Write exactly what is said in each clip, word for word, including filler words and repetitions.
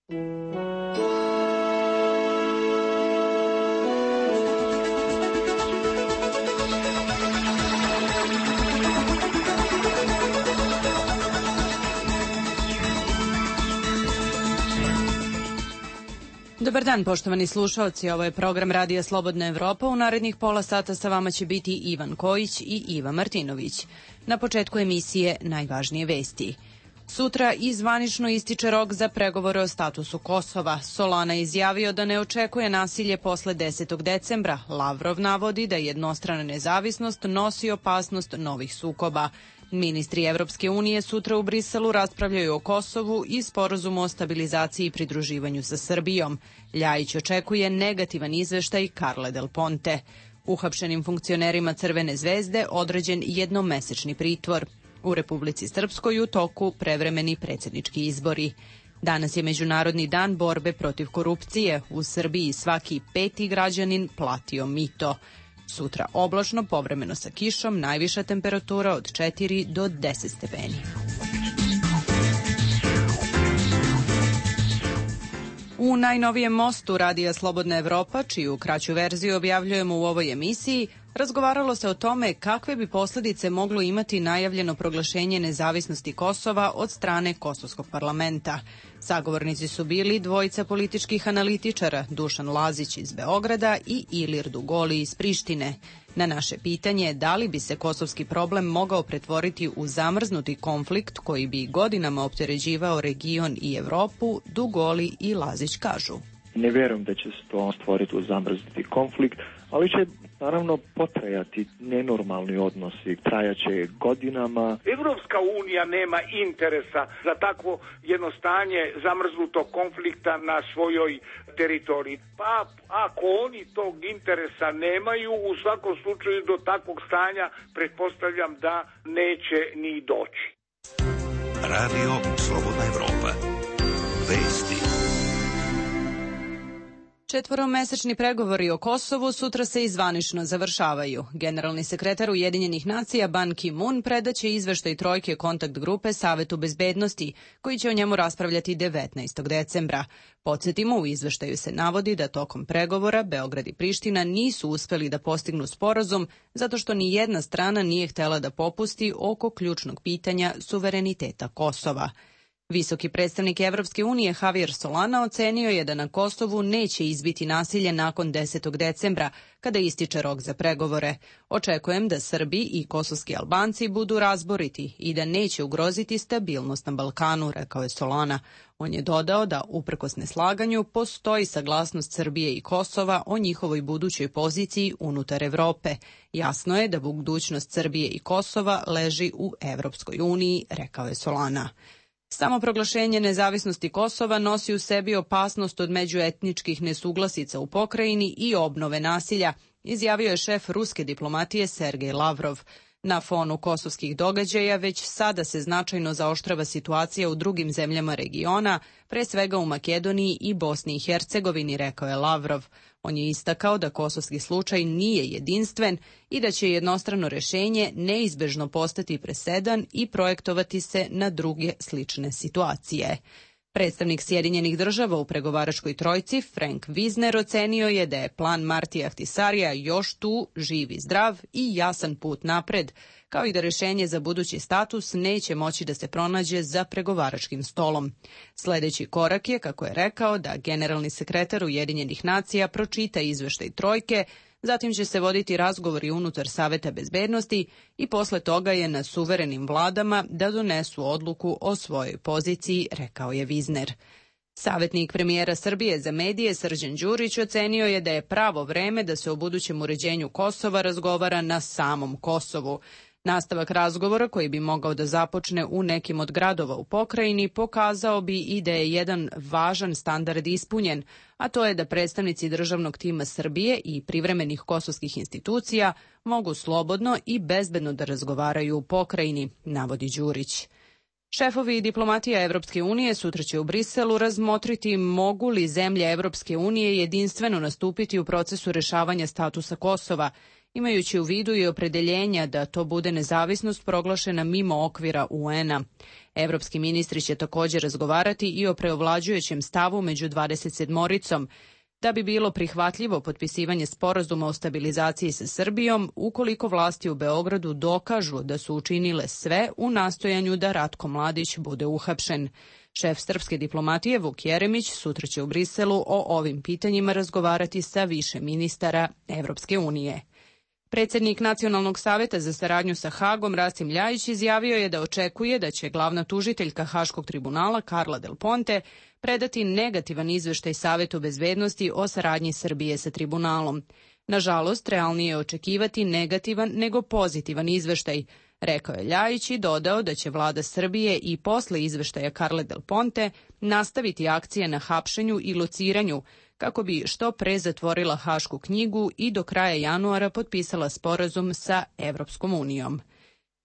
Dobar dan, poštovani slušaoci. Ovo je program Radija Slobodna Evropa. U narednih pola sata sa vama će biti Ivan Kojić i Iva Martinović. Na početku emisije najvažnije vesti. Sutra i zvanično ističe rok za pregovore o statusu Kosova. Solana je izjavio da ne očekuje nasilje posle desetog decembra. Lavrov navodi da jednostrana nezavisnost nosi opasnost novih sukoba. Ministri Evropske unije sutra u Briselu raspravljaju o Kosovu i sporazumu o stabilizaciji i pridruživanju sa Srbijom. Ljajić očekuje negativan izveštaj Carle Del Ponte. Uhapšenim funkcionerima Crvene zvezde određen jednomesečni pritvor. U Republici Srpskoj u toku prevremeni predsjednički izbori. Danas je Međunarodni dan borbe protiv korupcije. U Srbiji svaki peti građanin platio mito. Sutra oblačno, povremeno sa kišom, najviša temperatura od četiri do deset stepeni. U najnovijem mostu Radija Slobodna Evropa, čiju kraću verziju objavljujemo u ovoj emisiji, razgovaralo se o tome kakve bi posljedice moglo imati najavljeno proglašenje nezavisnosti Kosova od strane Kosovskog parlamenta. Sagovornici su bili dvojica političkih analitičara, Dušan Lazić iz Beograda i Ilir Dugoli iz Prištine. Na naše pitanje da li bi se kosovski problem mogao pretvoriti u zamrznuti konflikt koji bi godinama opteređivao region i Evropu, Dugoli i Lazić kažu. Ne vjerujem da će se to stvoriti u zamrznuti konflikt, ali će naravno potrajati nenormalni odnosi, trajaće godinama. Evropska unija nema interesa za takvo jedno stanje zamrznutog konflikta na svojoj teritoriji. Pa ako oni tog interesa nemaju, u svakom slučaju do takvog stanja pretpostavljam da neće ni doći. Radio Slobodna Evropa. Vesti. Četvoromesečni pregovori o Kosovu sutra se i zvanično završavaju. Generalni sekretar Ujedinjenih nacija Ban Ki-moon predaće izveštaj trojke kontakt grupe Savetu bezbednosti, koji će o njemu raspravljati devetnaestog decembra. Podsjetimo, u izveštaju se navodi da tokom pregovora Beograd i Priština nisu uspeli da postignu sporazum zato što ni jedna strana nije htela da popusti oko ključnog pitanja suvereniteta Kosova. Visoki predstavnik Evropske unije Javier Solana ocenio je da na Kosovu neće izbiti nasilje nakon desetog decembra, kada ističe rok za pregovore. Očekujem da Srbi i kosovski Albanci budu razboriti i da neće ugroziti stabilnost na Balkanu, rekao je Solana. On je dodao da, uprkos neslaganju, postoji saglasnost Srbije i Kosova o njihovoj budućoj poziciji unutar Evrope. Jasno je da budućnost Srbije i Kosova leži u Evropskoj uniji, rekao je Solana. Samo proglašenje nezavisnosti Kosova nosi u sebi opasnost od međuetničkih nesuglasica u pokrajini i obnove nasilja, izjavio je šef ruske diplomatije Sergej Lavrov. Na fonu kosovskih događaja već sada se značajno zaoštrava situacija u drugim zemljama regiona, pre svega u Makedoniji i Bosni i Hercegovini, rekao je Lavrov. On je istakao da kosovski slučaj nije jedinstven i da će jednostrano rešenje neizbežno postati presedan i projektovati se na druge slične situacije. Predstavnik Sjedinjenih država u pregovaračkoj trojci, Frank Wisner, ocenio je da je plan Martija Ahtisarija još tu, živ i zdrav i jasan put napred, kao i da rešenje za budući status neće moći da se pronađe za pregovaračkim stolom. Sljedeći korak je, kako je rekao, da generalni sekretar Ujedinjenih nacija pročita izveštaj trojke, zatim će se voditi razgovori unutar Saveta bezbednosti i posle toga je na suverenim vladama da donesu odluku o svojoj poziciji, rekao je Wisner. Savetnik premijera Srbije za medije Srđan Đurić ocenio je da je pravo vreme da se o budućem uređenju Kosova razgovara na samom Kosovu. Nastavak razgovora, koji bi mogao da započne u nekim od gradova u pokrajini, pokazao bi i da je jedan važan standard ispunjen, a to je da predstavnici državnog tima Srbije i privremenih kosovskih institucija mogu slobodno i bezbedno da razgovaraju u pokrajini, navodi Đurić. Šefovi diplomatija Evropske unije sutra će u Briselu razmotriti mogu li zemlje Evropske unije jedinstveno nastupiti u procesu rešavanja statusa Kosova imajući u vidu i opredeljenja da to bude nezavisnost proglašena mimo okvira U N A. Evropski ministri će također razgovarati i o preovlađujućem stavu među dvadeset sedmoricom, da bi bilo prihvatljivo potpisivanje sporazuma o stabilizaciji sa Srbijom ukoliko vlasti u Beogradu dokažu da su učinile sve u nastojanju da Ratko Mladić bude uhapšen. Šef srpske diplomatije Vuk Jeremić sutra će u Briselu o ovim pitanjima razgovarati sa više ministara Evropske unije. Predsjednik Nacionalnog saveta za saradnju sa Hagom Rasim Ljajić izjavio je da očekuje da će glavna tužiteljka Haškog tribunala Carla Del Ponte predati negativan izveštaj Savetu bezbednosti o saradnji Srbije sa tribunalom. Nažalost, realnije je očekivati negativan nego pozitivan izveštaj, rekao je Ljajić i dodao da će vlada Srbije i posle izveštaja Carle Del Ponte nastaviti akcije na hapšenju i lociranju kako bi što pre zatvorila Hašku knjigu i do kraja januara potpisala sporazum sa Evropskom unijom.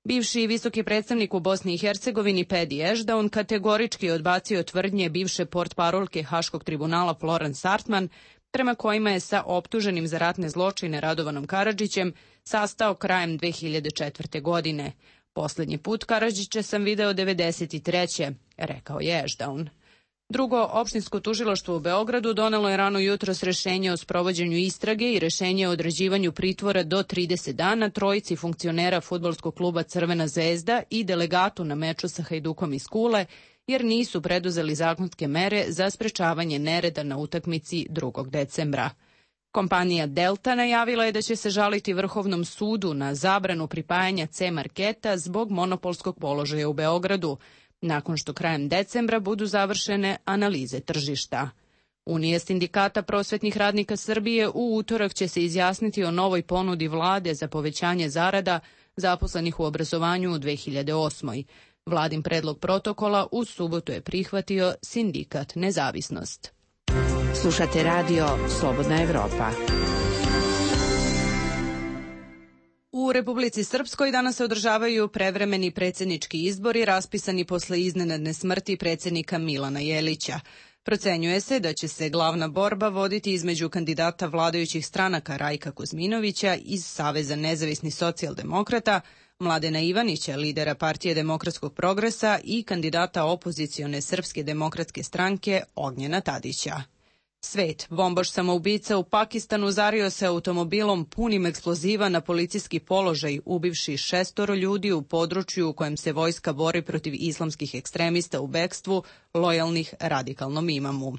Bivši visoki predstavnik u Bosni i Hercegovini Pedi Ešdaun kategorički odbacio tvrdnje bivše portparolke Haškog tribunala Florence Artman, prema kojima je sa optuženim za ratne zločine Radovanom Karadžićem sastao krajem dve hiljade četvrte. godine. Poslednji put Karadžića sam video devedeset treće. rekao je Ešdaun. Drugo, opštinsko tužilaštvo u Beogradu donelo je rano jutros rešenje o sprovođenju istrage i rešenje o određivanju pritvora do trideset dana trojici funkcionera fudbalskog kluba Crvena zvezda i delegatu na meču sa Hajdukom iz Kule, jer nisu preduzeli zakonske mere za sprečavanje nereda na utakmici drugog decembra. Kompanija Delta najavila je da će se žaliti Vrhovnom sudu na zabranu pripajanja C-marketa zbog monopolskog položaja u Beogradu, nakon što krajem decembra budu završene analize tržišta. Unija sindikata prosvetnih radnika Srbije u utorak će se izjasniti o novoj ponudi vlade za povećanje zarada zaposlenih u obrazovanju u dve hiljade osmoj. Vladin predlog protokola u subotu je prihvatio sindikat Nezavisnost. Slušate radio Slobodna Evropa. U Republici Srpskoj danas se održavaju prevremeni predsjednički izbori raspisani posle iznenadne smrti predsjednika Milana Jelića. Procenjuje se da će se glavna borba voditi između kandidata vladajućih stranaka Rajka Kuzminovića iz Saveza nezavisnih socijaldemokrata, Mladena Ivanića, lidera Partije demokratskog progresa i kandidata opozicione Srpske demokratske stranke Ognjena Tadića. Svet, bombaš samoubica u Pakistanu zario se automobilom punim eksploziva na policijski položaj, ubivši šestoro ljudi u području u kojem se vojska bori protiv islamskih ekstremista u bekstvu, lojalnih radikalnom imamu.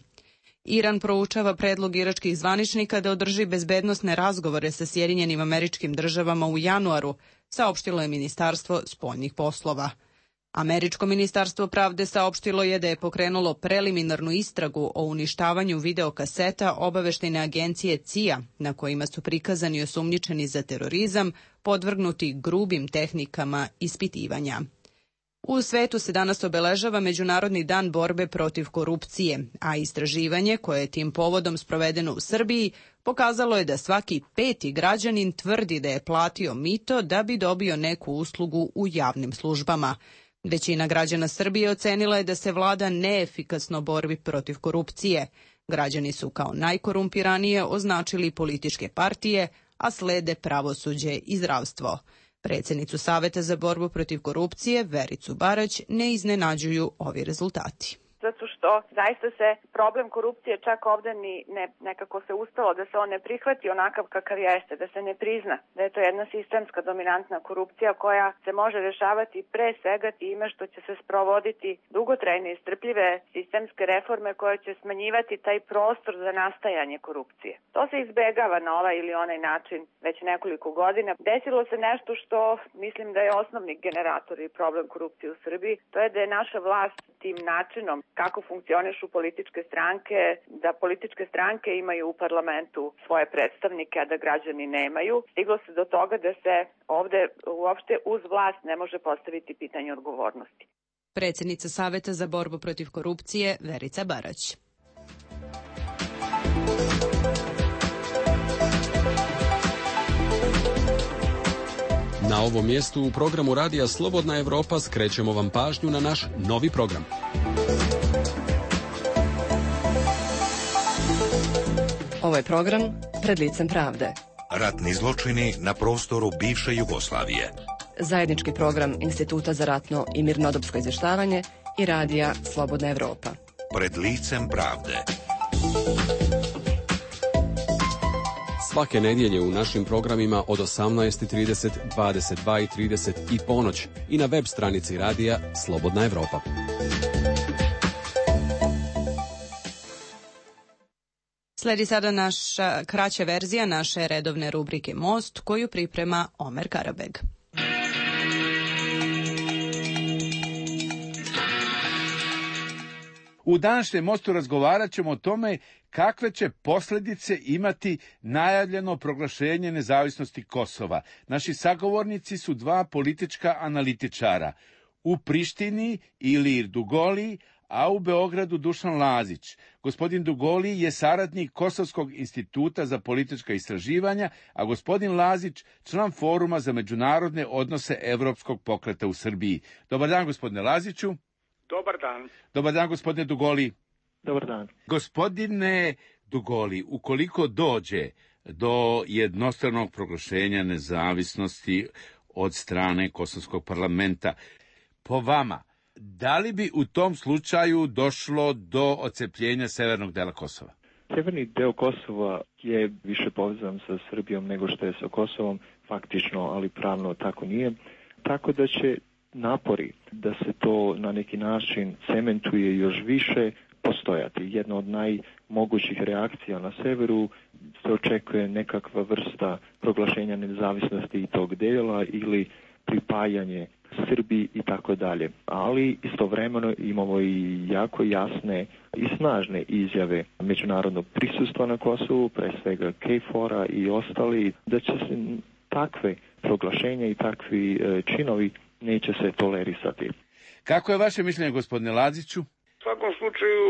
Iran proučava predlog iračkih zvaničnika da održi bezbednosne razgovore sa Sjedinjenim Američkim Državama u januaru, saopštilo je Ministarstvo spoljnih poslova. Američko ministarstvo pravde saopštilo je da je pokrenulo preliminarnu istragu o uništavanju videokaseta obaveštajne agencije C I A, na kojima su prikazani osumnjičeni za terorizam, podvrgnuti grubim tehnikama ispitivanja. U svetu se danas obeležava Međunarodni dan borbe protiv korupcije, a istraživanje koje je tim povodom sprovedeno u Srbiji pokazalo je da svaki peti građanin tvrdi da je platio mito da bi dobio neku uslugu u javnim službama. Većina građana Srbije ocenila je da se vlada neefikasno borbi protiv korupcije. Građani su kao najkorumpiranije označili političke partije, a slede pravosuđe i zdravstvo. Predsjednicu Saveta za borbu protiv korupcije, Vericu Barać, ne iznenađuju ovi rezultati. Zato što zaista se problem korupcije čak ovde ni ne, nekako se uspelo da se on ne prihvati onakav kakav jeste, da se ne prizna, da je to jedna sistemska dominantna korupcija koja se može rešavati pre svega time što će se sprovoditi dugotrajne i strpljive sistemske reforme koje će smanjivati taj prostor za nastajanje korupcije. To se izbegava na ovaj ili onaj način već nekoliko godina. Desilo se nešto što mislim da je osnovni generator i problem korupcije u Srbiji, to je da je naša vlast tim načinom kako funkcionišu političke stranke, da političke stranke imaju u parlamentu svoje predstavnike, a da građani nemaju. Stiglo se do toga da se ovde uopšte uz vlast ne može postaviti pitanje odgovornosti. Predsjednica Saveta za borbu protiv korupcije Verica Barać. Na ovom mjestu u programu Radija Slobodna Evropa skrećemo vam pažnju na naš novi program. Ovo je program Pred licem pravde. Ratni zločini na prostoru bivše Jugoslavije. Zajednički program Instituta za ratno i mirnodopsko izvještavanje i radija Slobodna Evropa. Pred licem pravde. Svake nedjelje u našim programima od osamnaest i trideset, dvadeset dva i trideset i ponoć i na web stranici radija Slobodna Evropa. Sledi sada naša kraća verzija naše redovne rubrike Most, koju priprema Omer Karabeg. U današnjem Mostu razgovarat ćemo o tome kakve će posljedice imati najavljeno proglašenje nezavisnosti Kosova. Naši sagovornici su dva politička analitičara. U Prištini Ilir Dugoli, a u Beogradu Dušan Lazić. Gospodin Dugoli je saradnik Kosovskog instituta za politička istraživanja, a gospodin Lazić član Foruma za međunarodne odnose Evropskog pokreta u Srbiji. Dobar dan, gospodine Laziću. Dobar dan. Dobar dan, gospodine Dugoli. Dobar dan. Gospodine Dugoli, ukoliko dođe do jednostranog proglašenja nezavisnosti od strane Kosovskog parlamenta, po vama, da li bi u tom slučaju došlo do odcepljenja severnog dela Kosova? Severni deo Kosova je više povezan sa Srbijom nego što je sa Kosovom, faktično, ali pravno tako nije. Tako da će napori da se to na neki način cementuje još više postojati. Jedna od najmogućih reakcija na severu se očekuje nekakva vrsta proglašenja nezavisnosti i tog dela ili pripajanje Srbiji i tako dalje. Ali istovremeno imamo i jako jasne i snažne izjave međunarodnog prisustva na Kosovu, pre svega KFOR-a i ostali, da će se takve proglašenja i takvi činovi neće se tolerisati. Kako je vaše mišljenje, gospodine Laziću? U svakom slučaju,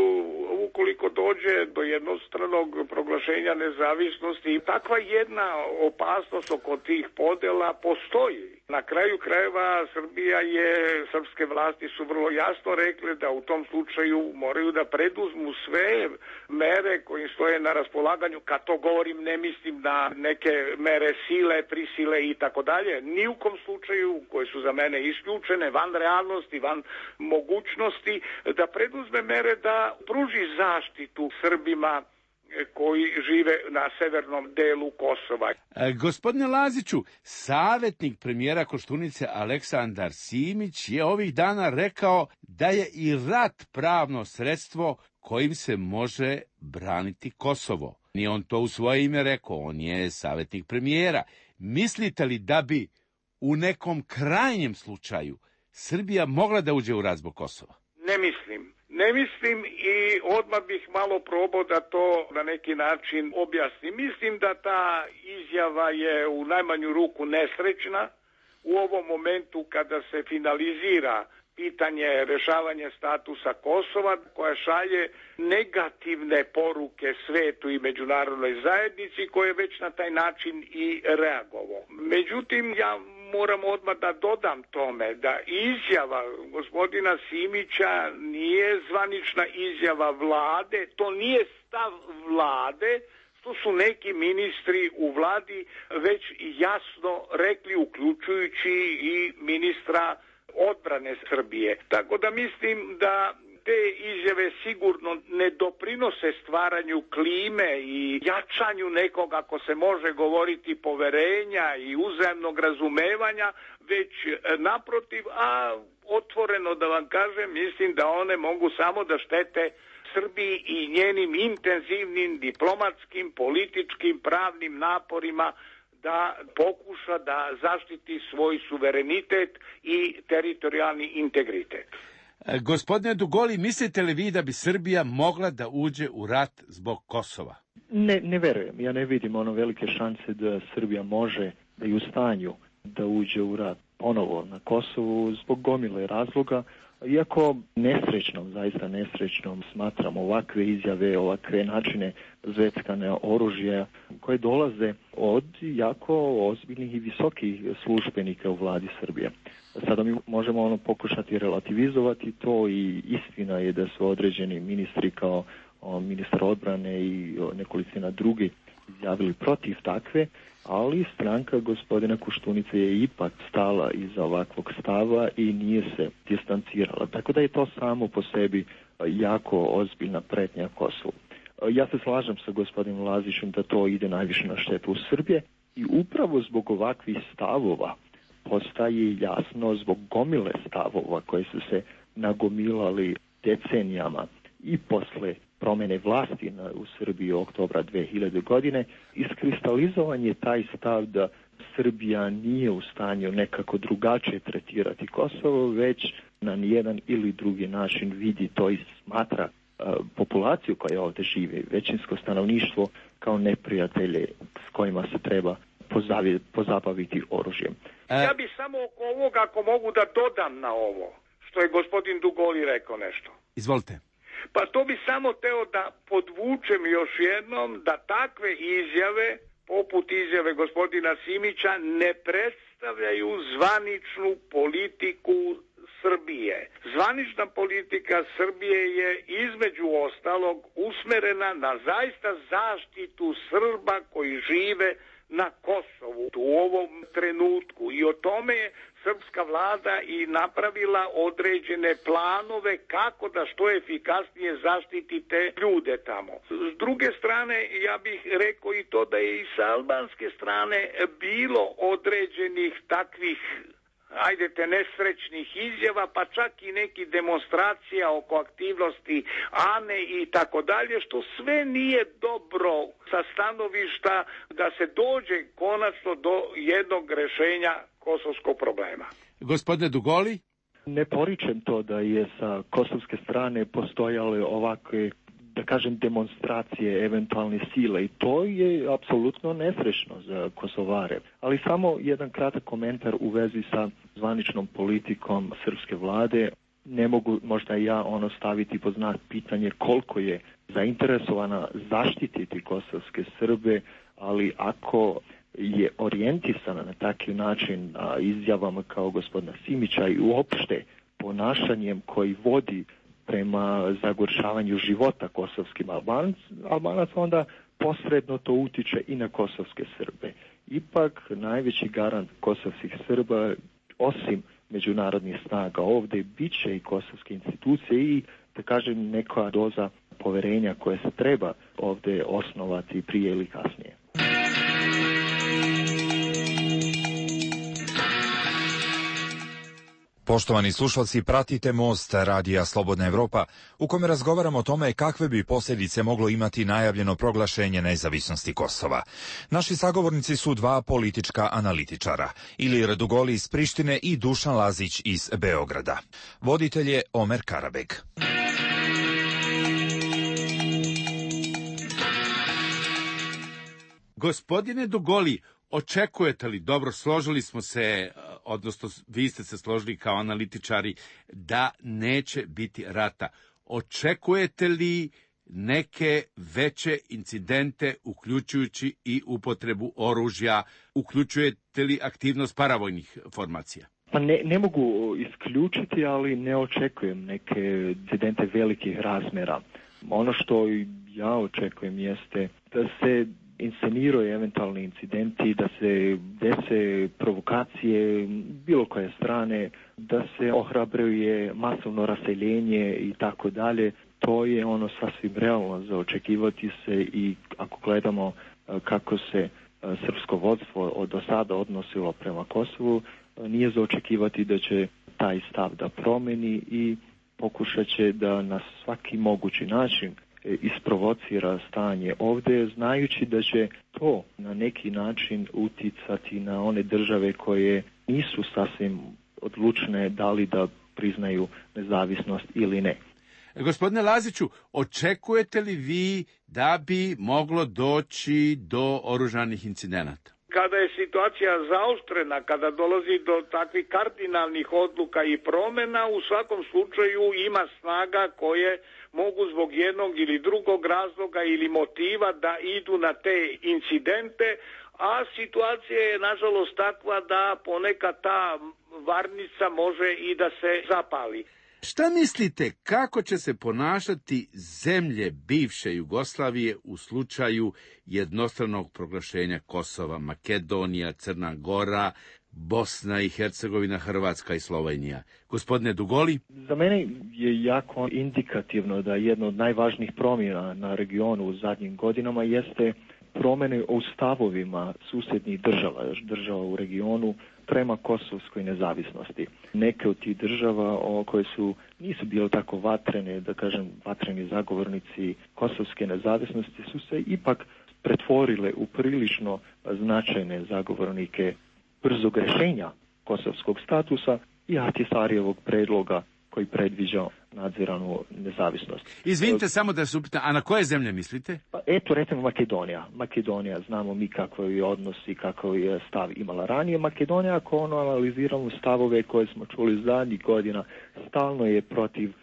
ukoliko dođe do jednostranog proglašenja nezavisnosti, takva jedna opasnost oko tih podela postoji. Na kraju krajeva Srbija je, srpske vlasti su vrlo jasno rekle da u tom slučaju moraju da preduzmu sve mere koje stoje na raspolaganju. Kad to govorim, ne mislim na neke mere sile, prisile i tako dalje. Ni u kom slučaju, koje su za mene isključene, van realnosti, van mogućnosti, da preduzme mere da pruži zaštitu Srbima koji žive na severnom delu Kosova. E, gospodine Laziću, savjetnik premijera Koštunice Aleksandar Simić je ovih dana rekao da je i rat pravno sredstvo kojim se može braniti Kosovo. Nije on to u svoje ime rekao, on je savjetnik premijera. Mislite li da bi u nekom krajnjem slučaju Srbija mogla da uđe u rat zbog Kosova? Ne mislim. Ne mislim i odmah bih malo probao da to na neki način objasnim. Mislim da ta izjava je u najmanju ruku nesrećna u ovom momentu kada se finalizira pitanje rešavanja statusa Kosova, koja šalje negativne poruke svetu i međunarodnoj zajednici, koje je već na taj način i reagovao. Međutim, ja moram odmah da dodam tome da izjava gospodina Simića nije zvanična izjava vlade, to nije stav vlade, što su neki ministri u vladi već jasno rekli, uključujući i ministra odbrane Srbije. Tako da mislim da te izjave sigurno ne doprinose stvaranju klime i jačanju nekog, ako se može govoriti, poverenja i uzajamnog razumevanja, već naprotiv, a otvoreno da vam kažem, mislim da one mogu samo da štete Srbiji i njenim intenzivnim diplomatskim, političkim, pravnim naporima da pokuša da zaštiti svoj suverenitet i teritorijalni integritet. E, gospodine Dugoli, mislite li vi da bi Srbija mogla da uđe u rat zbog Kosova? Ne, ne verujem. Ja ne vidim ono velike šanse da Srbija može da je u stanju da uđe u rat ponovo na Kosovu zbog gomile razloga. Iako nesrećnom, zaista nesrećnom smatram ovakve izjave, ovakve načine zveckane oružja koje dolaze od jako ozbiljnih i visokih službenika u vladi Srbije. Sada mi možemo ono pokušati relativizovati to i istina je da su određeni ministri kao o, ministar odbrane i nekolicina drugi izjavili protiv takve, ali stranka gospodina Koštunice je ipak stala iza ovakvog stava i nije se distancirala. Tako da je to samo po sebi jako ozbiljna pretnja Kosovu. Ja se slažem sa gospodinom Lazićem da to ide najviše na štetu Srbije i upravo zbog ovakvih stavova postaje jasno, zbog gomile stavova koje su se nagomilali decenijama i posle promene vlasti na, u Srbiji oktobra dve hiljade godine, iskristalizovan je taj stav da Srbija nije u stanju nekako drugačije tretirati Kosovo, već na nijedan ili drugi način vidi to i smatra uh, populaciju koja ovdje žive, većinsko stanovništvo kao neprijatelje s kojima se treba pozavi, pozabaviti oružjem. Ja bi samo oko ovoga, ako mogu da dodam na ovo, što je gospodin Dugoli rekao nešto. Izvolite. Pa to bi samo teo da podvučem još jednom da takve izjave, poput izjave gospodina Simića, ne predstavljaju zvaničnu politiku Srbije. Zvanična politika Srbije je između ostalog usmerena na zaista zaštitu Srba koji žive na Kosovu u ovom trenutku i o tome je srpska vlada i napravila određene planove kako da što efikasnije zaštiti te ljude tamo. S druge strane, ja bih rekao i to da je i sa albanske strane bilo određenih takvih, ajdete, nesrećnih izjava, pa čak i neki demonstracija oko aktivnosti Ane i tako dalje, što sve nije dobro sa stanovišta da se dođe konačno do jednog rešenja kosovskog problema. Gospodine Dugoli? Ne poričem to da je sa kosovske strane postojale ovakve, da kažem, demonstracije eventualne sile i to je apsolutno nesrećno za Kosovare. Ali samo jedan kratak komentar u vezi sa zvaničnom politikom srpske vlade. Ne mogu možda ja ono staviti pod znak pitanje koliko je zainteresovana zaštititi kosovske Srbe, ali ako je orijentisana na takav način a, izjavama kao gospodina Simića i uopšte ponašanjem koji vodi prema zagoršavanju života kosovskim Albanac, Albanac, onda posredno to utiče i na kosovske Srbe. Ipak najveći garant kosovskih Srba, osim međunarodnih snaga ovdje, bit će i kosovske institucije i, da kažem, neka doza poverenja koje se treba ovdje osnovati prije ili kasnije. Poštovani slušalci, pratite Most radija Slobodna Evropa, u kome razgovaramo o tome kakve bi posljedice moglo imati najavljeno proglašenje nezavisnosti Kosova. Naši sagovornici su dva politička analitičara, Ilir Dugoli iz Prištine i Dušan Lazić iz Beograda. Voditelj je Omer Karabeg. Gospodine Dugoli, očekujete li, dobro, složili smo se, odnosno vi ste se složili kao analitičari, da neće biti rata. Očekujete li neke veće incidente, uključujući i upotrebu oružja, uključujete li aktivnost paravojnih formacija? Pa ne, ne mogu isključiti, ali ne očekujem neke incidente velikih razmjera. Ono što ja očekujem jeste da se insceniraju eventualni incidenti, da se dese provokacije bilo koje strane, da se ohrabruje masovno raseljenje i tako dalje. To je ono sasvim realno za očekivati se i ako gledamo kako se srpsko vodstvo od do sada odnosilo prema Kosovu, nije za očekivati da će taj stav da promeni i pokušat će da na svaki mogući način isprovocira stanje ovdje, znajući da će to na neki način uticati na one države koje nisu sasvim odlučne da li da priznaju nezavisnost ili ne. Gospodine Laziću, očekujete li vi da bi moglo doći do oružanih incidenata? Kada je situacija zaoštrena, kada dolazi do takvih kardinalnih odluka i promjena, u svakom slučaju ima snaga koje mogu zbog jednog ili drugog razloga ili motiva da idu na te incidente, a situacija je nažalost takva da ponekad ta varnica može i da se zapali. Šta mislite kako će se ponašati zemlje bivše Jugoslavije u slučaju jednostranog proglašenja Kosova, Makedonija, Crna Gora, Bosna i Hercegovina, Hrvatska i Slovenija? Gospodine Dugoli? Za mene je jako indikativno da jedna od najvažnijih promjena na regionu u zadnjim godinama jeste promjene u stavovima susjednih država, država u regionu prema kosovskoj nezavisnosti. Neke od tih država o koje su nisu bile tako vatrene, da kažem vatreni zagovornici kosovske nezavisnosti, su se ipak pretvorile u prilično značajne zagovornike brzog rješenja kosovskog statusa i Ahtisarijevog predloga koji predviđa nadziranu nezavisnost. Izvinite samo da se upitam, a na koje zemlje mislite? Pa eto, recimo Makedonija. Makedonija, znamo mi kakav je odnos i kakav je stav imala ranije. Makedonija, ako ono analiziramo stavove koje smo čuli zadnjih godina, stalno je protiv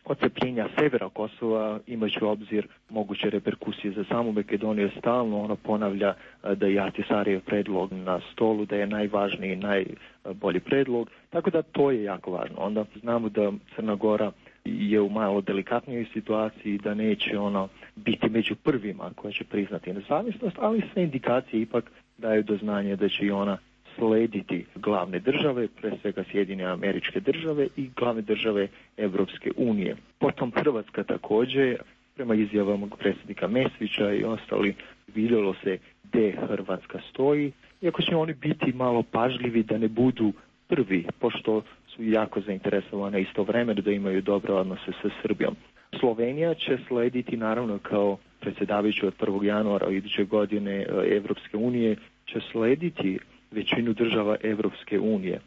odcepljenja severa Kosova, imajući u obzir moguće reperkusije za samu Makedoniju. Stalno ono ponavlja da je Ahtisarijev predlog na stolu, da je najvažniji i najbolji predlog, tako da to je jako važno. Onda znamo da Crna Gora je u malo delikatnijoj situaciji, da neće ono biti među prvima koja će priznati nezavisnost, ali sve indikacije ipak daju do znanja da će i ona slediti glavne države, pre svega Sjedinjene Američke Države i glavne države Evropske unije. Potom Hrvatska također, prema izjavama predsjednika Mesića i ostali, vidjelo se gdje Hrvatska stoji, iako će oni biti malo pažljivi da ne budu prvi, pošto su jako zainteresovane istovremeno da imaju dobre odnose sa Srbijom. Slovenija će slediti naravno kao predsjedavajući od prvog januara iduće godine Evropske unije, će slediti većinu država Evropske unije.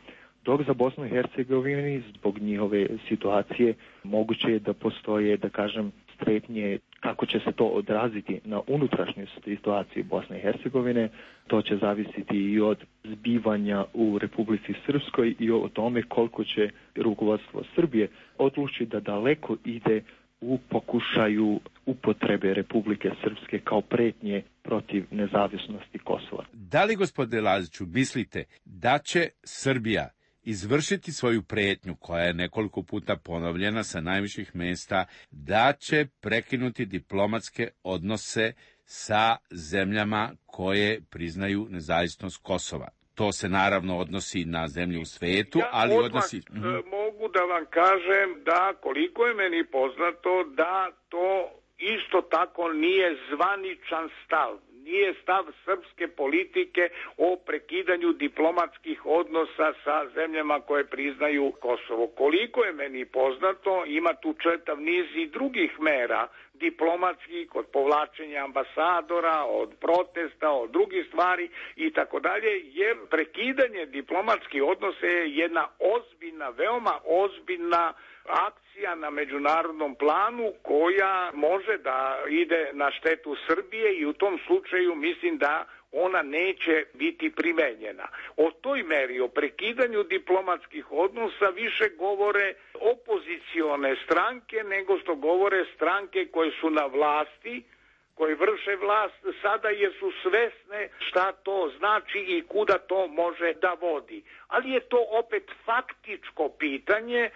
Dok za Bosnu i Hercegovini, zbog njihove situacije, moguće je da postoje, da kažem, strepnje kako će se to odraziti na unutrašnju situaciju Bosne i Hercegovine. To će zavisiti i od zbivanja u Republici Srpskoj i o tome koliko će rukovodstvo Srbije odlučiti da daleko ide u pokušaju upotrebe Republike Srpske kao pretnje protiv nezavisnosti Kosova. Da li, gospodine Laziću, mislite da će Srbija izvršiti svoju pretnju, koja je nekoliko puta ponovljena sa najviših mesta, da će prekinuti diplomatske odnose sa zemljama koje priznaju nezavisnost Kosova? To se naravno odnosi na zemlje u svetu, ja ali odmah odnosi... mogu da vam kažem da, koliko je meni poznato, da to isto tako nije zvaničan stav. Nije stav srpske politike o prekidanju diplomatskih odnosa sa zemljama koje priznaju Kosovo. Koliko je meni poznato, ima tu čitav niz i drugih mera diplomatskih, od povlačenja ambasadora, od protesta, od drugih stvari i tako dalje, jer prekidanje diplomatskih odnosa je jedna ozbiljna, veoma ozbiljna akcija na međunarodnom planu koja može da ide na štetu Srbije i u tom slučaju mislim da ona neće biti primenjena. O toj meri, o prekidanju diplomatskih odnosa više govore opozicione stranke nego što govore stranke koje su na vlasti, koje vrše vlast sada jer su svesne šta to znači i kuda to može da vodi. Ali je to opet faktičko pitanje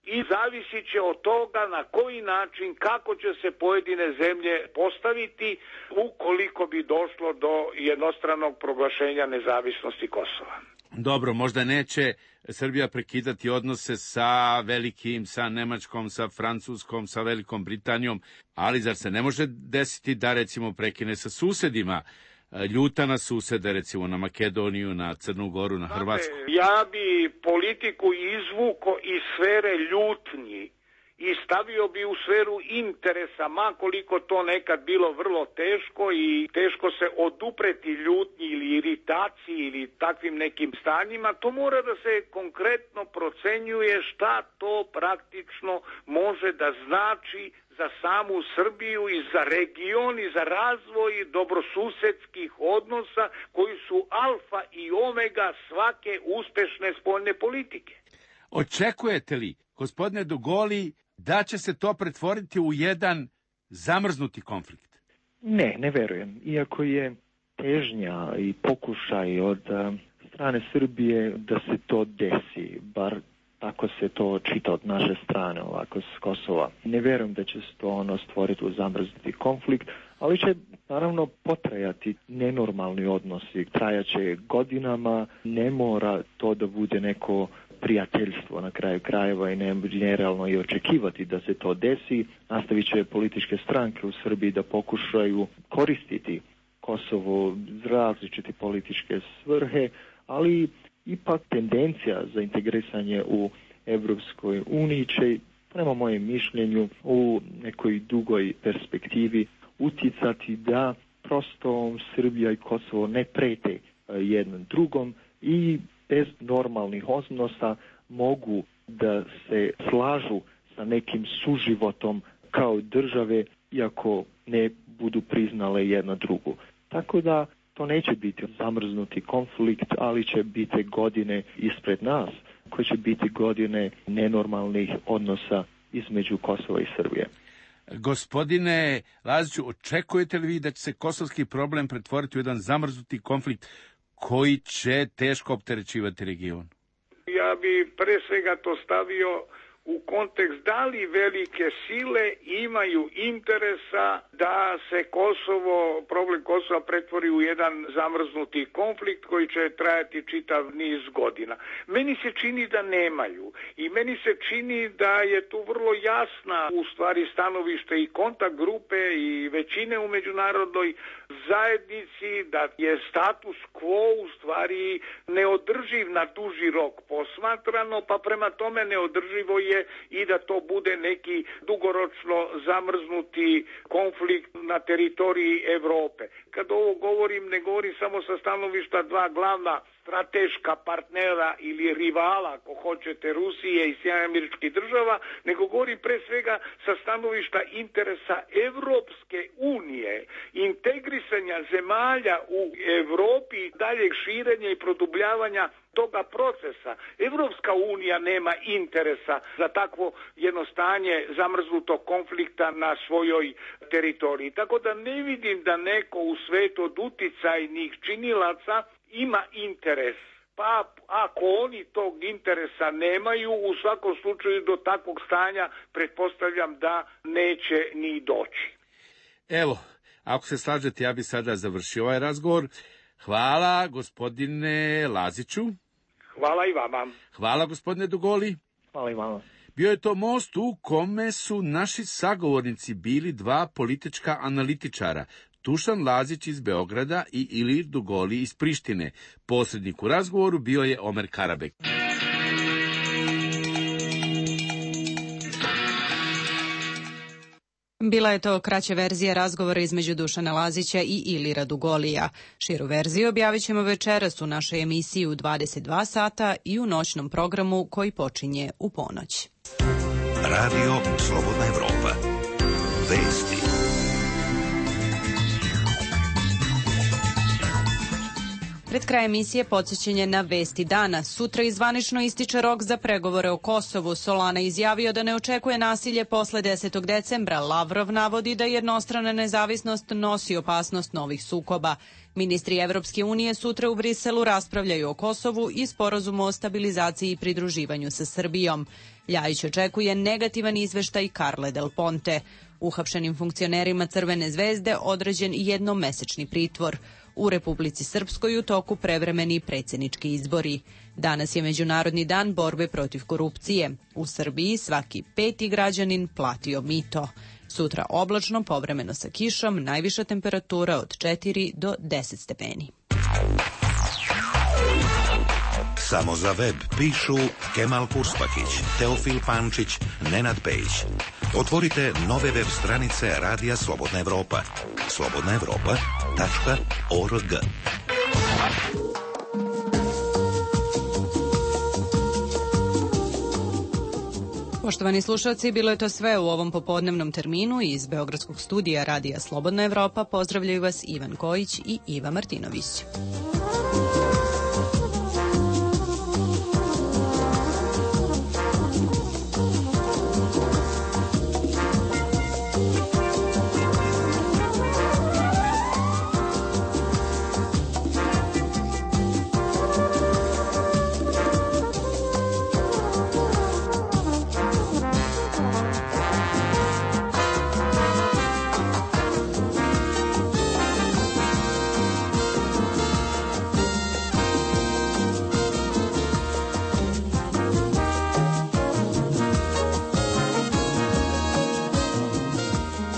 i zavisit će od toga na koji način, kako će se pojedine zemlje postaviti ukoliko bi došlo do jednostranog proglašenja nezavisnosti Kosova. Dobro, možda neće Srbija prekidati odnose sa velikim, sa Nemačkom, sa Francuskom, sa Velikom Britanijom, ali zar se ne može desiti da recimo prekine sa susedima? Ljuta na susede, recimo na Makedoniju, na Crnu Goru, na Hrvatsku. Ja bi politiku izvuko iz sfere ljutnji i stavio bi u sferu interesa, makoliko to nekad bilo vrlo teško i teško se odupreti ljutnji ili iritaciji ili takvim nekim stanjima. To mora da se konkretno procenjuje šta to praktično može da znači za samu Srbiju i za region i za razvoj dobrosusedskih odnosa koji su alfa i omega svake uspešne spoljne politike. Očekujete li, gospodine Dugoli, da će se to pretvoriti u jedan zamrznuti konflikt? Ne, ne verujem. Iako je težnja i pokušaj od strane Srbije da se to desi, bar tako se to čita od naše strane, ovako s Kosova. Ne vjerujem da će se to ono stvoriti u zamrznuti konflikt, ali će naravno potrajati nenormalni odnosi, trajaće godinama, ne mora to da bude neko prijateljstvo na kraju krajeva i ne je realno i očekivati da se to desi. Nastavit će političke stranke u Srbiji da pokušaju koristiti Kosovo za različite političke svrhe, ali ipak tendencija za integrisanje u Evropskoj uniji će, prema mojem mišljenju, u nekoj dugoj perspektivi uticati da prosto Srbija i Kosovo ne prete jednom drugom i bez normalnih odnosa mogu da se slažu sa nekim suživotom kao države, iako ne budu priznale jedna drugu. Tako da to neće biti zamrznuti konflikt, ali će biti godine ispred nas, koje će biti godine nenormalnih odnosa između Kosova i Srbije. Gospodine Laziću, očekujete li vi da će se kosovski problem pretvoriti u jedan zamrznuti konflikt koji će teško opterećivati region? Ja bi pre svega to stavio u kontekst da li velike sile imaju interesa da se Kosovo, problem Kosova pretvori u jedan zamrznuti konflikt koji će trajati čitav niz godina. Meni se čini da nemaju i meni se čini da je tu vrlo jasna u stvari stanovište i kontakt grupe i većine u međunarodnoj zajednici da je status quo u stvari neodrživ na duži rok posmatrano, pa prema tome neodrživo je i da to bude neki dugoročno zamrznuti konflikt na teritoriji Evrope. Kad ovo govorim, ne govorim samo sa stanovišta dva glavna strateška partnera ili rivala, ako hoćete, Rusije i Sjedinjenih Američkih Država, nego govorim pre svega sa stanovišta interesa Evropske unije, integrisanja zemalja u Evropi, daljeg širenja i produbljavanja toga procesa. Evropska unija nema interesa za takvo jedno stanje zamrznutog konflikta na svojoj teritoriji. Tako da ne vidim da neko u svetu od uticajnih činilaca ima interes. Pa ako oni tog interesa nemaju, u svakom slučaju do takvog stanja pretpostavljam da neće ni doći. Evo, ako se slažete, ja bi sada završio ovaj razgovor. Hvala gospodine Laziću. Hvala i vama. Hvala gospodine Dugoli. Hvala i vama. Bio je to most u kome su naši sagovornici bili dva politička analitičara, Dušan Lazić iz Beograda i Ilir Dugoli iz Prištine. Posrednik u razgovoru bio je Omer Karabek. Bila je to kraća verzija razgovora između Dušana Lazića i Ilira Dugolija. Širu verziju objavit ćemo večeras u našoj emisiji u dvadeset dva sata i u noćnom programu koji počinje u ponoć. Radio Slobodna Evropa. Vesti. Pred kraj emisije podsjećanje na vesti dana. Sutra izvanično ističe rok za pregovore o Kosovu. Solana izjavio da ne očekuje nasilje posle desetog decembra. Lavrov navodi da jednostrana nezavisnost nosi opasnost novih sukoba. Ministri Evropske unije sutra u Briselu raspravljaju o Kosovu i sporazumu o stabilizaciji i pridruživanju sa Srbijom. Ljajić očekuje negativan izveštaj Carle Del Ponte. Uhapšenim funkcionerima Crvene zvezde određen jednomesečni pritvor. U Republici Srpskoj u toku prevremeni predsjednički izbori. Danas je Međunarodni dan borbe protiv korupcije. U Srbiji svaki peti građanin platio mito. Sutra oblačno, povremeno sa kišom, najviša temperatura od četiri do deset stepeni. Samo za web pišu Kemal Purspakić, Teofil Pančić, Nenad Pejić. Otvorite nove web stranice Radija Slobodna Evropa. slobodna evropa tačka org. Poštovani slušalci, bilo je to sve u ovom popodnevnom terminu. Iz Beogradskog studija Radija Slobodna Evropa pozdravljaju vas Ivan Kojić i Iva Martinović.